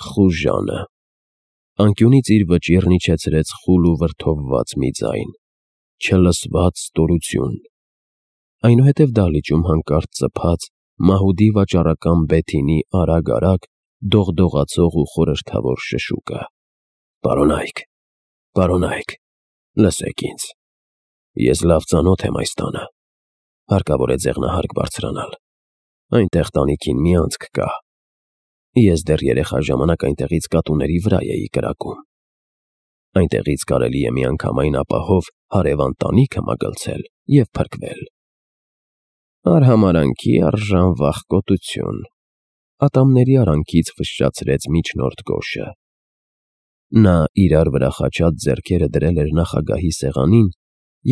Խուժանը։ Անկյունից իր վճիռն իջեցրեց խուլ ու վրդովված մի ձայն. չլսված ստորություն։ Այնուհետև դահլիճում հանկարծ ծփաց մահուդի վաճառական Բեթինի արագ-արագ դողդողացող ու խորհրդավոր շշուկը. Պարոնայք, լսեք ինձ, ես լավ ծանոթ եմ այս տանը, հարկավոր է ձեղնահարկ բարձրանալ, այնտեղ տանիքին մի անցք կա, ես դեռ երեխա ժամանակ այնտեղից կատուների վրա էի կրակում, այնտեղից կարելի է միանգամայն ապահով հարևան տանիքը մագլցել և փրկվել։ Արհամարանքի արժան վախկոտություն, ատամների արանքից ֆշշացրեց միջնորդ Գոշը։ Նա իրար վրա խաչած ձեռքերը դրել էր նախագահի սեղանին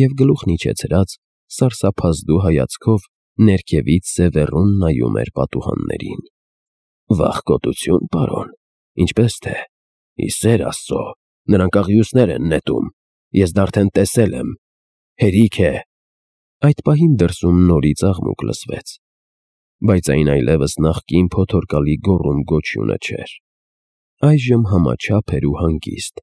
և գլուխն իջեցրած սարսափազդու հայացքով ներքևից սևեռուն նայում էր պատուհաններին։ Վախկոտություն, պարոն, ինչպես թե, ի սեր Աստծո, նրանք աղյուսներ են նետում, ես դա արդեն տեսել եմ, հերիք է։ Այդ պահին դրսում նորից աղմուկ լսվեց, բայց այն այլևս նախկին փոթորկալի գոռում-գոչյունը չէր։ Այժմ համաչափ էր ու հանգիստ,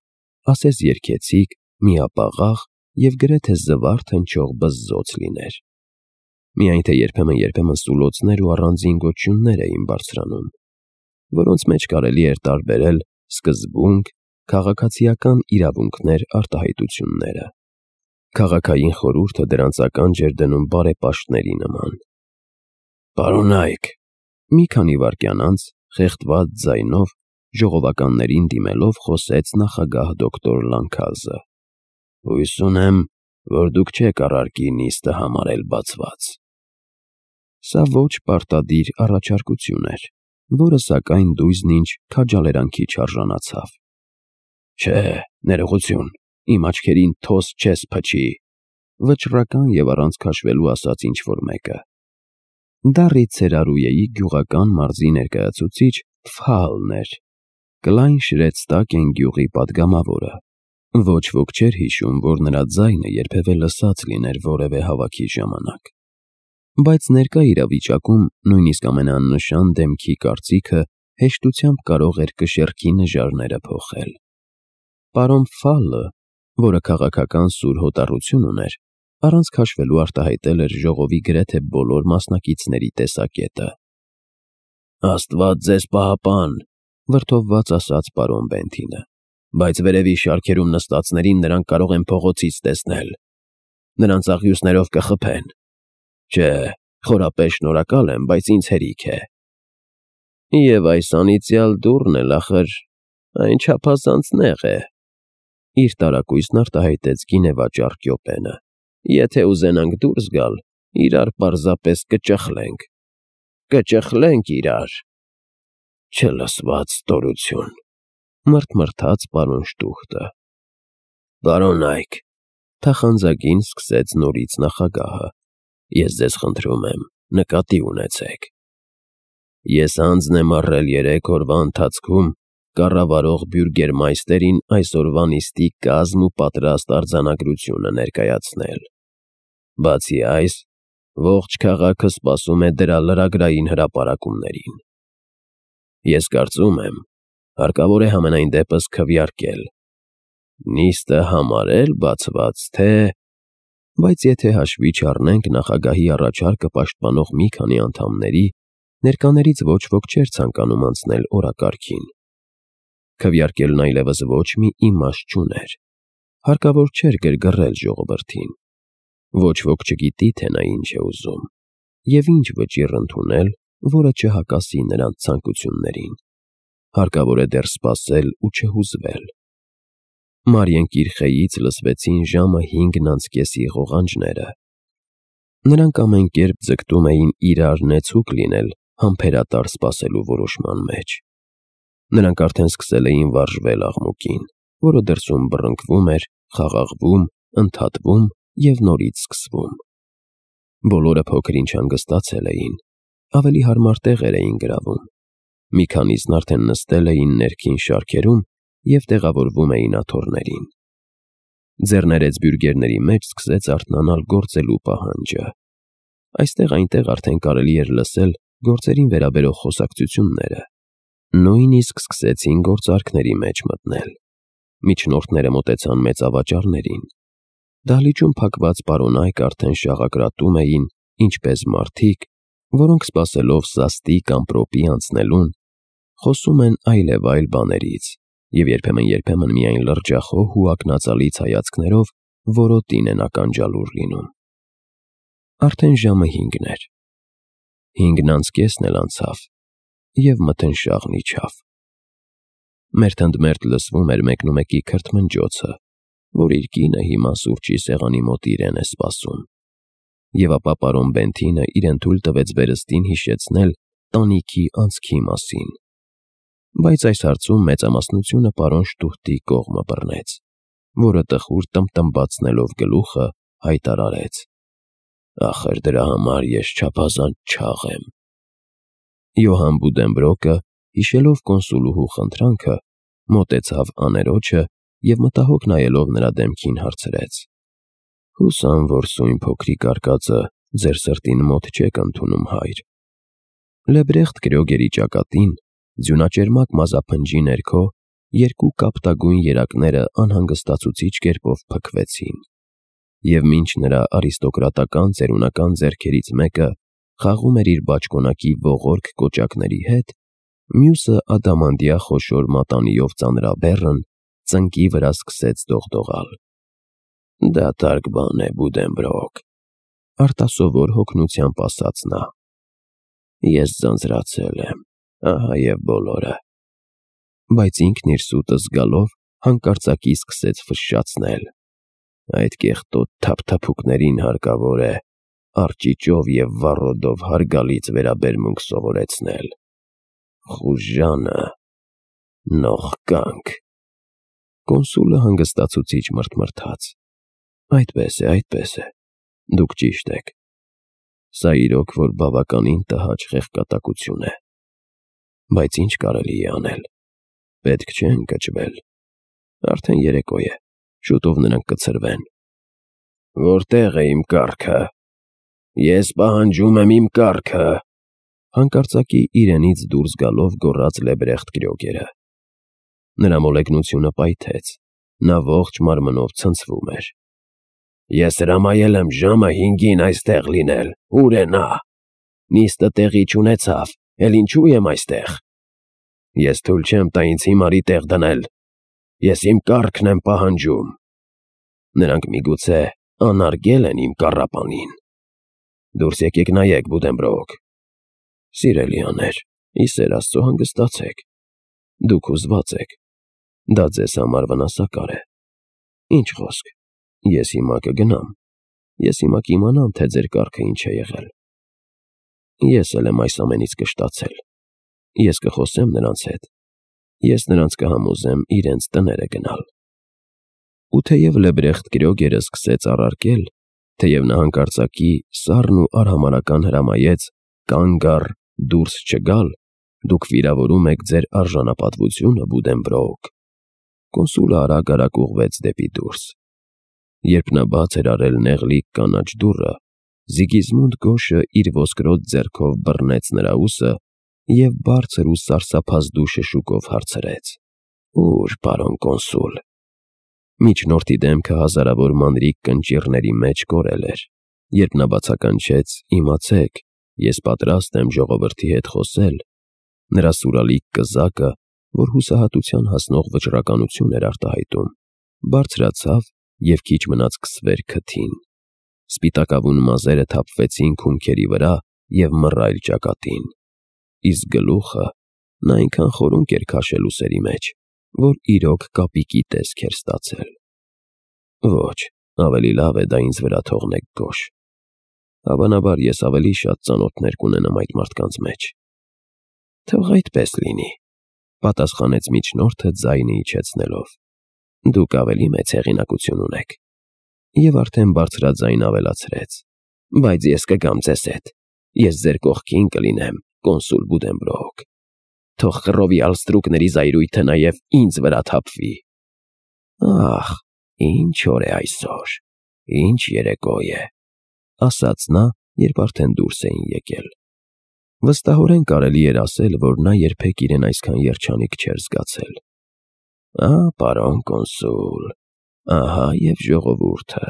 ասես երգեցիկ, միապաղաղ և գրեթե զվարթ հնչող բզզոց լիներ։ Միայն թե երբեմն սուլոցներ ու առանձին գոչյուններ էին բարձրանում, որոնց մեջ կարելի էր տարբերել սկզբունք, քաղաքացիական իրավունքներ արտահայտությունները։ Քաղաքային խորհուրդը դրանց ականջ էր դնում բարեպաշտների նման։ Պարոնայք, մի քանի վայրկյան անց խեղդված ձայնով ժողովականներին դիմելով խոսեց նախագահ դոկտոր Լանքազը. Հույս ունեմ, որ դուք չեք առարկի նիստը համարել բացված։ Սա ոչ պարտադիր առաջարկություն էր, որը սակայն դույզն ինչ քաջալերանքի չարժանացավ։ Չէ, ներողություն, իմ աչքերին թոս չես փչի, վճռական և առանց քաշվելու ասաց ինչ-որ մեկը։ Դա Ռիցերարուեի գյուղական մարզի ներկայացուցիչ Ֆհալն էր, Կլայն-Շրեդստակեն գյուղի պատգամավորը։ Ոչ ոք չէր հիշում, որ նրա ձայնը երբևէ լսած լիներ որևէ հավաքի ժամանակ։ Բայց ներկա իրավիճակում նույնիսկ ամենաաննշան դեմքի կարծիքը հեշտությամբ կարող էր կշեռքի նժարները փոխել։ Պարոն Ֆալը, որը քաղաքական սուր հոտառություն ուներ, առանց քաշվելու արտահայտել էր ժողովի գրեթե բոլոր մասնակիցների տեսակետը։ Աստված ձեզ պահապան, վրդովված ասաց պարոն Բենթինը, բայց վերևի շարքերում նստածներին նրանք կարող են փողոցից տեսնել։ Նրանց աղյուսներով կխփեն։ Չէ, խորապես շնորհակալ եմ, բայց ինձ հերիք է։ Եվ այս անիծյալ դուռն էլ ախր այն չափազանց նեղ է, իր տարակույսն արտահայտեց գինեվաճառ Կյոպենը։ Եթե ուզենանք դուրս գալ, իրար պարզապես կճխլենք իրար։ Չլսված ստորություն, մռթմռթաց պարոն Շտուխտը։ Պարոնայք, թախանձագին սկսեց նորից նախագահը, ես ձեզ խնդրում եմ, նկատի ունեցեք։ Ես անձն եմ առել 3 օրվա ընթացքում կառավարող բյուրգերմայստերին այսօրվա նիստի կազմ ու պատրաստ արձանագրությունը ներկայացնել։ Բացի այս, ողջ քաղաքը սպասում է դրա լրագրային հրապարակումներին։ Ես կարծում եմ, հարկավոր է համենայն դեպս քվեարկել, նիստը համարել բացված, թե… Բայց եթե հաշվի չառնենք նախագահի առաջարկը պաշտպանող մի քանի անդամների, ներկաներից ոչ ոք չէր ցանկանում անցնել օրակարգին։ Քվեարկելն այլևս ոչ մի իմաստ չուներ, հարկավոր չէր գրգռել ժողովրդին։ Ոչ ոք չգիտի, թե նա ինչ է ուզում և ինչ վճիռ ընդունել, որը չհակասի նրանց ցանկություններին։ Հարկավոր է դեռ սպասել ու չհուզվել։ Մարիենկիր խեյից լսվեցին ժամը 5:30 ղողանջները։ Նրանք ամեն կերպ ձգտում էին իրար նեցուկ լինել համբերատար սպասելու որոշման մեջ։ Նրանք արդեն սկսել էին վարժվել աղմուկին, որը դրսում բռնկվում էր, խաղաղվում, ընդհատվում և նորից սկսվում։ Բոլորը փոքր-ինչ հանգստացել էին, ավելի հարմար տեղեր էին գրավում։ Մի քանիսն արդեն նստել էին ներքին շարքերում և տեղավորվում էին աթոռներին։ Ձեռներեց բյուրգերների մեջ սկսեց արթնանալ գործելու պահանջը։ Այստեղ-այնտեղ արդեն կարելի էր լսել գործերին վերաբերող խոսակցությունները, Նույնիսկ սկսեցին գործարքների մեջ մտնել։ Միջնորդները մոտեցան մեծավաճառներին։ Դահլիճում փակված պարոնայք արդեն շաղակրատում էին, ինչպես մարդիկ, որոնք սպասելով սաստիկ ամպրոպի անցնելուն, խոսում են այլևայլ բաներից և երբեմն միայն լրջախոհ ու ակնածալից հայացքներով որոտին են ականջալուր լինում։ Արդեն ժամը 5 էր։ 5:05 էլ անցավ, և մթնշաղն իջավ։ Մերթընդմերթ լսվում էր մեկնումեկի քրթմնջոցը, որ իր կինը հիմա սուրճի սեղանի մոտ իրեն է սպասում։ Եվ ապա պարոն Բենթինը իրեն թույլ տվեց վերստին հիշեցնել տանիքի անցքի մասին։ Բայց այս հարցում մեծամասնությունը պարոն Շտուհտի կողմը բռնեց, որը տխուր տմբտմբացնելով գլուխը հայտարարեց. «Ախր դրա համար ես չափազանց չաղ եմ»։ Յոհան Բուդենբրոկը, հիշելով կոնսուլուհու խնդրանքը, մոտեցավ աներոջը և մտահոգ նայելով նրա դեմքին հարցրեց. «Հուսամ, որ սույն փոքրիկ արկածը ձեր սրտին մոտ չեք ընդունում, հայր»։ Լեբրեխտ Կրյոգերի ճակատին, ձյունաճերմակ մազափնջի ներքո, երկու կապտագույն երակները անհանգստացուցիչ կերպով փքվեցին, և մինչ նրա արիստոկրատական ծերունական ձեռքերից մեկը խաղում էր իր բաճկոնակի ողորկ կոճակների հետ, մյուսը ադամանդյա խոշոր մատանիով ծանրաբեռն ծնկի վրա սկսեց դողդողալ։ «Դատարկ բան է, Բուդենբրոկ», արտասովոր հոգնությամբ ասաց նա։ «Ես ձանձրացել եմ, ահա և բոլորը»։ Բայց ինքն իր սուտը զգալով հանկարծակի սկսեց ֆշշացնել։ «Այդ կեղտոտ թափթփուկներին հարկավոր է արճիճով և վառոդով հարգալից վերաբերմունք սովորեցնել։ Խուժանը, նողկանք»։ Կոնսուլը հանգստացուցիչ մռթմռթաց։ Այդպես է, դուք ճիշտ եք։ Սա իրոք որ բավականին տհաճ խեղճատակություն է։ Բայց ինչ կարելի է անել։ Պետք չէ ընկճվել։ Արդեն երեկո է, շուտով նրանք կցրվեն։ «Որտե՞ղ է իմ կառքը։ Ես պահանջում եմ իմ կառքը», հանկարծակի իրենից դուրս գալով գոռաց Լեբրեխտ Կրյոգերը։ Նրա մոլեգնությունը պայթեց, նա ողջ մարմնով ցնցվում էր։ «Ես հրամայել եմ ժամը 5-ին այստեղ լինել, ու՞ր է նա։ Նիստը տեղի չունեցավ, էլ ինչու եմ այստեղ։ Ես թույլ չեմ տա ինձ հիմարի տեղ դնել։ Ես իմ կառքն եմ պահանջում։ Նրանք միգուցե անարգել են իմ կառապանին։ Դուրս եկեք նայեք, Բուդենբրոկ։ Սիրելիաներ, ի սեր Աստծո հանգստացեք։ Դուք հուզված եք։ Դա ձեզ համար վնասակար է։ Ինչ խոսք, ես հիմա կգնամ։ Ես հիմա կիմանամ, թե ձեր կառքը ինչ է եղել։ Ես էլ եմ այս ամենից կշտացել։ Ես կխոսեմ նրանց հետ։ Ես նրանց կհամոզեմ իրենց տները գնալ»։ Ու թեև Լեբրեխտ Կրյոգերը սկսեց առարկել, թեև նա հանկարծակի սառն ու արհամարհական հրամայեց «կանգ առ, դուրս չգալ», դուք վիրավորում եք ձեր արժանապատվությունը, Բուդենբրոկ։ Կոնսուլը արագ ուղղվեց դեպի դուրս։ Երբ նա բաց էր արել նեղլիկ կանաչ դուռը, Զիգիզմունդ Գոշը իր ոսկրոտ ձեռքով բռնեց նրա ուսը և բարձր ու սարսափազդու շշուկով հարցրեց. «Ո՞ւր, պարոն կոնսուլ»։ Միջնորդի դեմքը հազարավոր մանրիկ կնճիռների մեջ կորել էր, երբ նա բացականչեց. «Իմացեք, ես պատրաստ եմ ժողովրդի հետ խոսել», նրա սուրալիկ կզակը, որ հուսահատության հասնող վճռականություն էր արտահայտում, բարձրացավ և քիչ մնաց քսվեր քթին։ Սպիտակավուն մազերը թափվեցին քունքերի վրա և մռայլ ճակատին։ Իսկ գլուխը նա այնքան խորունկ էր քաշել ուսերի մեջ, որ իրոք կապիկի տեսք էր ստացել։ Ոչ, ավելի լավ է դա ինձ վրա թողնեք, Գոշ։ Հավանաբար ես ավելի շատ ծանոթներ կունենամ այդ մարդկանց մեջ։ Թող այդպես լինի, պատասխանեց միջնորդը ձայնը իջեցնելով։ Դուք ավելի մեծ հեղինակություն ունեք։ Եվ արդեն բարձրաձայն ավելացրեց. բայց ես կգամ ձեզ հետ։ Ես ձեր կողքին կլինեմ, կոնսուլ Բուդենբրոկ։ Թող խռովյալ ստրուկների զայրույթը նաև ինձ վրա թափվի։ Ահ, ինչ օր է այսօր, ինչ երեկո է, ասաց նա, երբ արդեն դուրս էին եկել։ Վստահորեն կարելի էր ասել, որ նա երբեք իրեն այսքան երջանիկ չէր զգացել։ Պարոն կոնսուլ, ահա և ժողովուրդը։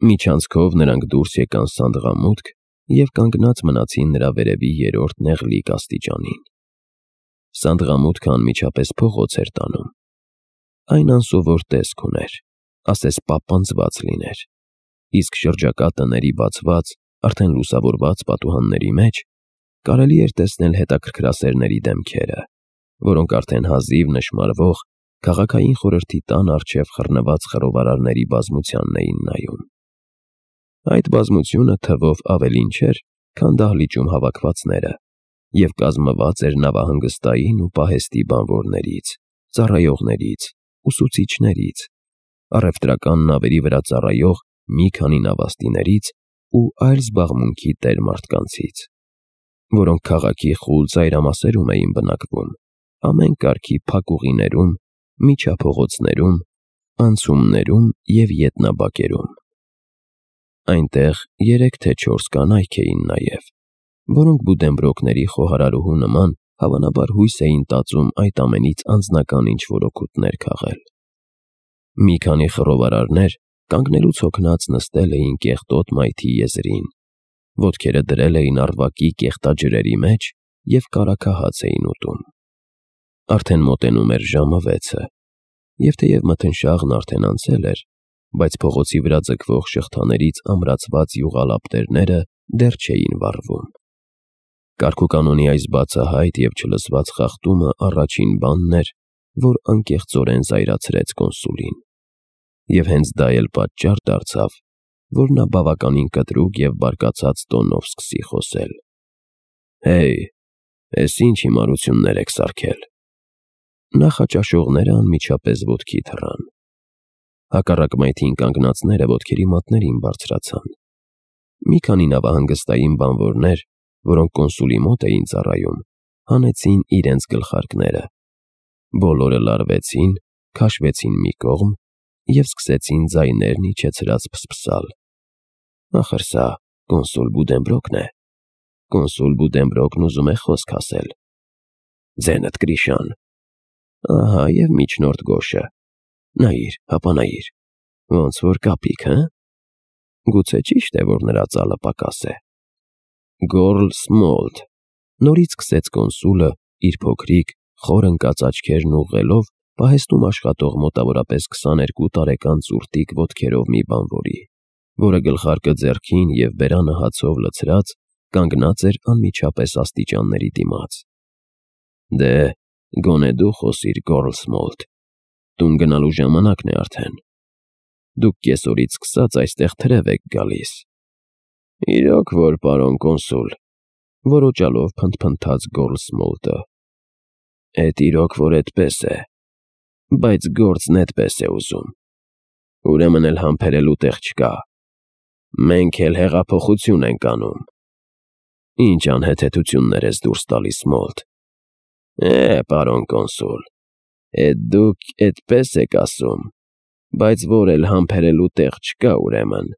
Միջանցքով նրանք դուրս եկան սանդղամուտք և կանգնած մնացին նրա վերևի երրորդ նեղլիկ աստիճանին։ Սանդղամուտքը անմիջապես փողոց էր տանում։ Այն անսովոր տեսք ուներ, ասես պապանձված լիներ, իսկ շրջակա տների բացված, արդեն լուսավորված պատուհանների մեջ կարելի էր տեսնել հետաքրքրասերների դեմքերը, որոնք արդեն հազիվ նշմարվող քաղաքային խորհրդի տան առջև խռնված խռովարարների բազմությանն էին նայում։ Այդ բազմությունը թվով ավելին չէր, քան դահլիճում հավաքվածները, և կազմված էր նավահանգստային ու պահեստի բանվորներից, ծառայողներից, ուսուցիչներից, առևտրական նավերի վրա ծառայող մի քանի նավաստիներից ու այլ զբաղմունքի տեր մարդկանցից, որոնք քաղաքի խուլ ծայրամասերում էին բնակվում, ամեն կարգի փակուղիներում, միջափողոցներում, անցումներում և ետնաբակերում։ Այնտեղ 3 թե 4 կանայք էին նաև, որոնք Բուդենբրոկների խոհարարուհու նման հավանաբար հույս էին տածում այդ ամենից անձնական ինչ-որ օգուտներ քաղել։ Մի քանի խռովարարներ կանգնելուց հոգնած նստել էին կեղտոտ մայթի եզրին, ոտքերը դրել էին առվակի կեղտաջրերի մեջ և կարագահաց էին ուտում։ Արդեն մոտենում էր ժամը 6-ը, և թեև մթնշաղն արդեն անցել էր, բայց փողոցի վրա ձգվող շղթաներից ամրացված յուղալապտերները դեռ չէին վառվում։ Կարգուկանոնի այս բացահայտ և չլսված խախտումը առաջին բանն էր, որ անկեղծորեն զայրացրեց կոնսուլին, և հենց դա էլ պատճառ դարձավ, որ նա բավականին կտրուկ և բարկացած տոնով սկսի խոսել։ «Հեյ, էս ինչ հիմարություններ եք սարքել»։ Նախաճաշողները անմիջապես ոտքի թռան։ Հակառակ մայթին կանգնածները ոտքերի մատներին բարձրացան։ Մի քանի նավահանգստային բանվորներ, որոնք կոնսուլի մոտ էին ծառայում, հանեցին իրենց գլխարկները։ Բոլորը լարվեցին, քաշվեցին մի կողմ և սկսեցին ձայներն իջեցրած փսփսալ։ Ախր սա կոնսուլ Բուդենբրոկն է։ Կոնսուլ Բուդենբրոկն ուզում է խոսք ասել։ Ձենդ Գրիշան։ Ահա և միջնորդ Գոշը։ Նայիր, հապա նայիր, ոնց որ կապիկ, հը՞։ Գուցե ճիշտ է, որ նրա ծալը պակաս է։ Գոռլ Սմոլթ, նորից սկսեց կոնսուլը իր փոքրիկ, խոր ընկած աչքերն ուղղելով պահեստում աշխատող մոտավորապես 22 տարեկան ծուռտիկ ոտքերով մի բանվորի, որը գլխարկը ձեռքին և բերանը հացով լցրած կանգնած էր անմիջապես աստիճանների դիմաց։ Դե, գոնե դու խոսիր, Գոռլ Սմոլթ, տուն գնալու ժամանակն է արդեն։ Դուք կեսօրից սկսած այստեղ թրև եք գալիս։ Իրոք որ, պարոն կոնսուլ, որոճալով փնթփնթաց Գոռլ Սմոլթը։ Էդ իրոք որ էդպես է, բայց գործն էդպես է ուզում։ Ուրեմն էլ համբերելու տեղ չկա։ Մենք էլ հեղափոխություն ենք անում։ Ինչ անհեթեթություններ ես դուրս տալիս, Սմոլթ։ Պարոն կոնսուլ, էդ դուք էդպես եք ասում, բայց որ էլ համբերելու տեղ չկա, ուրեմն։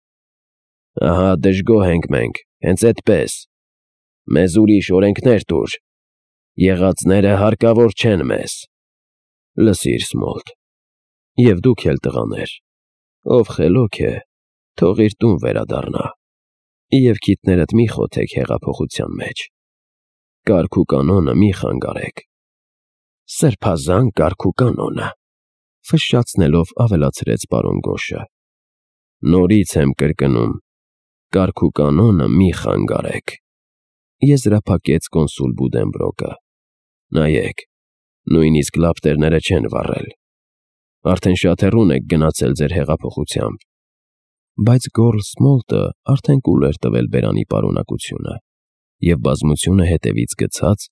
Ահա դժգոհ ենք մենք, հենց էդպես։ Մեզ ուրիշ օրենքներ տուր։ Եղածները հարկավոր չեն մեզ։ Լսիր, Սմոլթ, և դուք էլ տղաներ, ով խելոք է, թող իր տուն վերադառնա, և քիթներդ մի խոթեք հեղափոխության մեջ։ Կարգ ու կանոնը մի խանգարեք։ Սրբազան կարգ ու կանոնը, ֆշշացնելով ավելացրեց պարոն Գոշը։ Նորից եմ կրկնում, կարգ ու կանոնը մի խանգարեք, եզրափակեց կոնսուլ Բուդենբրոկը։ Նայեք, նույնիսկ լապտերները չեն վառել։ Արդեն շատ հեռուն եք գնացել ձեր հեղափոխությամբ։ Բայց Գոռլ Սմոլթը արդեն կուլ էր տվել բերանի պարունակությունը, և բազմությունը հետևից գցած,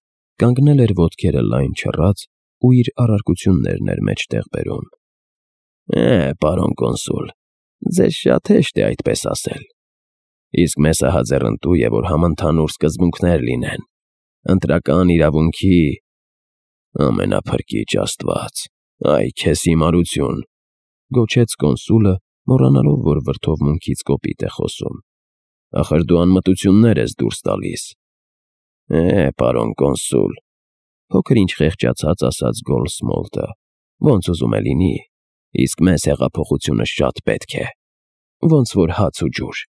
կանգնել էր ոտքերը լայն չռած ու իր առարկություններն էր մեջտեղ բերում։ Պարոն կոնսուլ, ձեզ շատ հեշտ է այդպես ասել։ Իսկ մեզ ահա ձեռնտու է, որ համընդհանուր սկզբունքներ լինեն, ընտրական իրավունքի… Ամենափրկիչ Աստված, այ քեզ հիմարություն, գոչեց կոնսուլը, մոռանալով, որ վրդովմունքից կոպիտ է խոսում։ Ախր դու անմտություններ ես դուրս տալիս։ Պարոն կոնսուլ, փոքր ինչ խեղճացած ասաց Գոլդսմոլթը, ոնց ուզում է լինի, իսկ մեզ հեղափոխությունը շատ պետք է, ոնց որ հաց ու ջուր։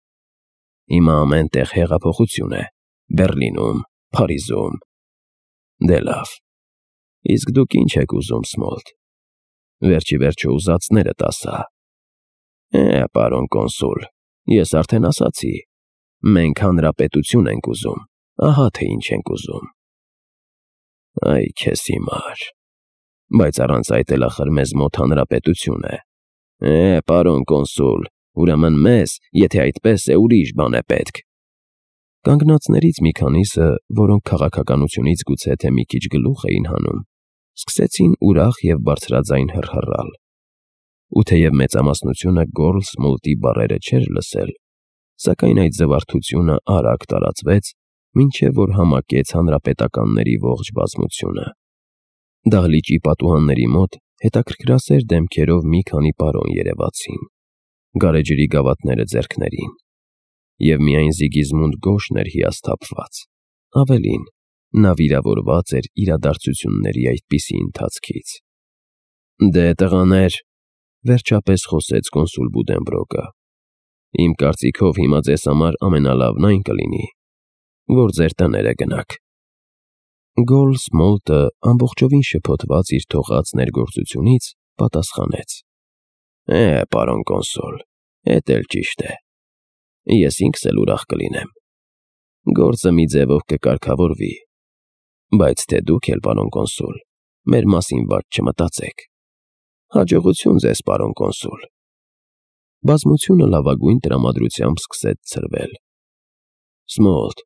Հիմա ամեն տեղ հեղափոխություն է, Բեռլինում, Փարիզում։ Դե լավ, իսկ դուք ինչ եք ուզում, Սմոլթ, վերջի վերջո ուզածներդ ասա։ Պարոն կոնսուլ, ես արդեն ասացի, մենք հանրապետություն ենք ուզում, ահա թե ինչ ենք ուզում։ Այ քեզ հիմար, բայց առանց այդ էլ ախր մեզ մոտ հանրապետություն է։ Պարոն կոնսուլ, ուրեմն մեզ, եթե այդպես է, ուրիշ բան է պետք։ Կանգնածներից մի քանիսը, որոնք քաղաքականությունից գուցե թե մի քիչ գլուխ էին հանում, սկսեցին ուրախ և բարձրաձայն հռհռալ։ Ու թեև մեծամասնությունը Գոլդսմոլթի բառերը չէր լսել, սակայն այդ զվարթությունը արագ տարածվեց, մինչև որ համակեց հանրապետականների ողջ բազմությունը։ Դահլիճի պատուհանների մոտ հետաքրքրասեր դեմքերով մի քանի պարոն երևացին, գարեջրի գավաթները ձեռքներին, և միայն Զիգիզմունդ Գոշն էր հիասթափված, ավելին, նա վիրավորված էր իրադարձությունների այդպիսի ընթացքից։ Դե տղաներ, վերջապես խոսեց կոնսուլ Բուդենբրոկը, իմ կարծիքով հիմա ձեզ համար ամենալավն այն կլինի, որ ձեր տները գնաք։ Գոլդսմոլթը ամբողջովին շփոթված իր թողած ներգործությունից պատասխանեց. Պարոն կոնսուլ, էդ էլ ճիշտ է, ես ինքս էլ ուրախ կլինեմ, գործը մի ձևով կկարգավորվի, բայց թե դուք էլ, պարոն կոնսուլ, մեր մասին վատ չմտածեք։ Հաջողություն ձեզ, պարոն կոնսուլ։ Բազմությունը լավագույն տրամադրությամբ սկսեց ցրվել։ Սմոլթ,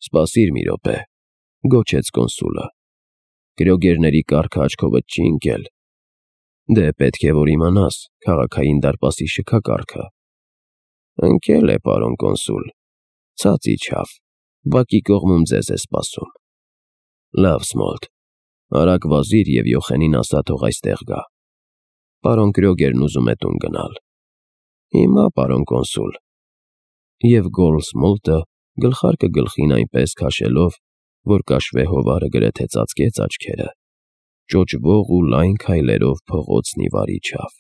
սպասիր մի րոպե, գոչեց կոնսուլը, գրոգերների կառքը աչքովդ չի ընկել։ Դե պետք է որ իմանաս քաղաքային դարպասի շքակառքը։ Ընկել է, պարոն կոնսուլ, ցած իջավ, բակի կողմում ձեզ է սպասում։ Լավ, Սմոլթ, արագ վազիր և Յոխենին ասա թող այստեղ գա։ Պարոն Կրոգերն ուզում է տուն գնալ։ Հիմա, պարոն կոնսուլ։ Եվ Գոլդսմոլթը գլխարկը գլխին այնպես քաշելով, որ կաշվե հովարը գրեթե ծածկեց աչքերը, ճոճվող ու լայն քայլերով փողոցն ի վար իջավ։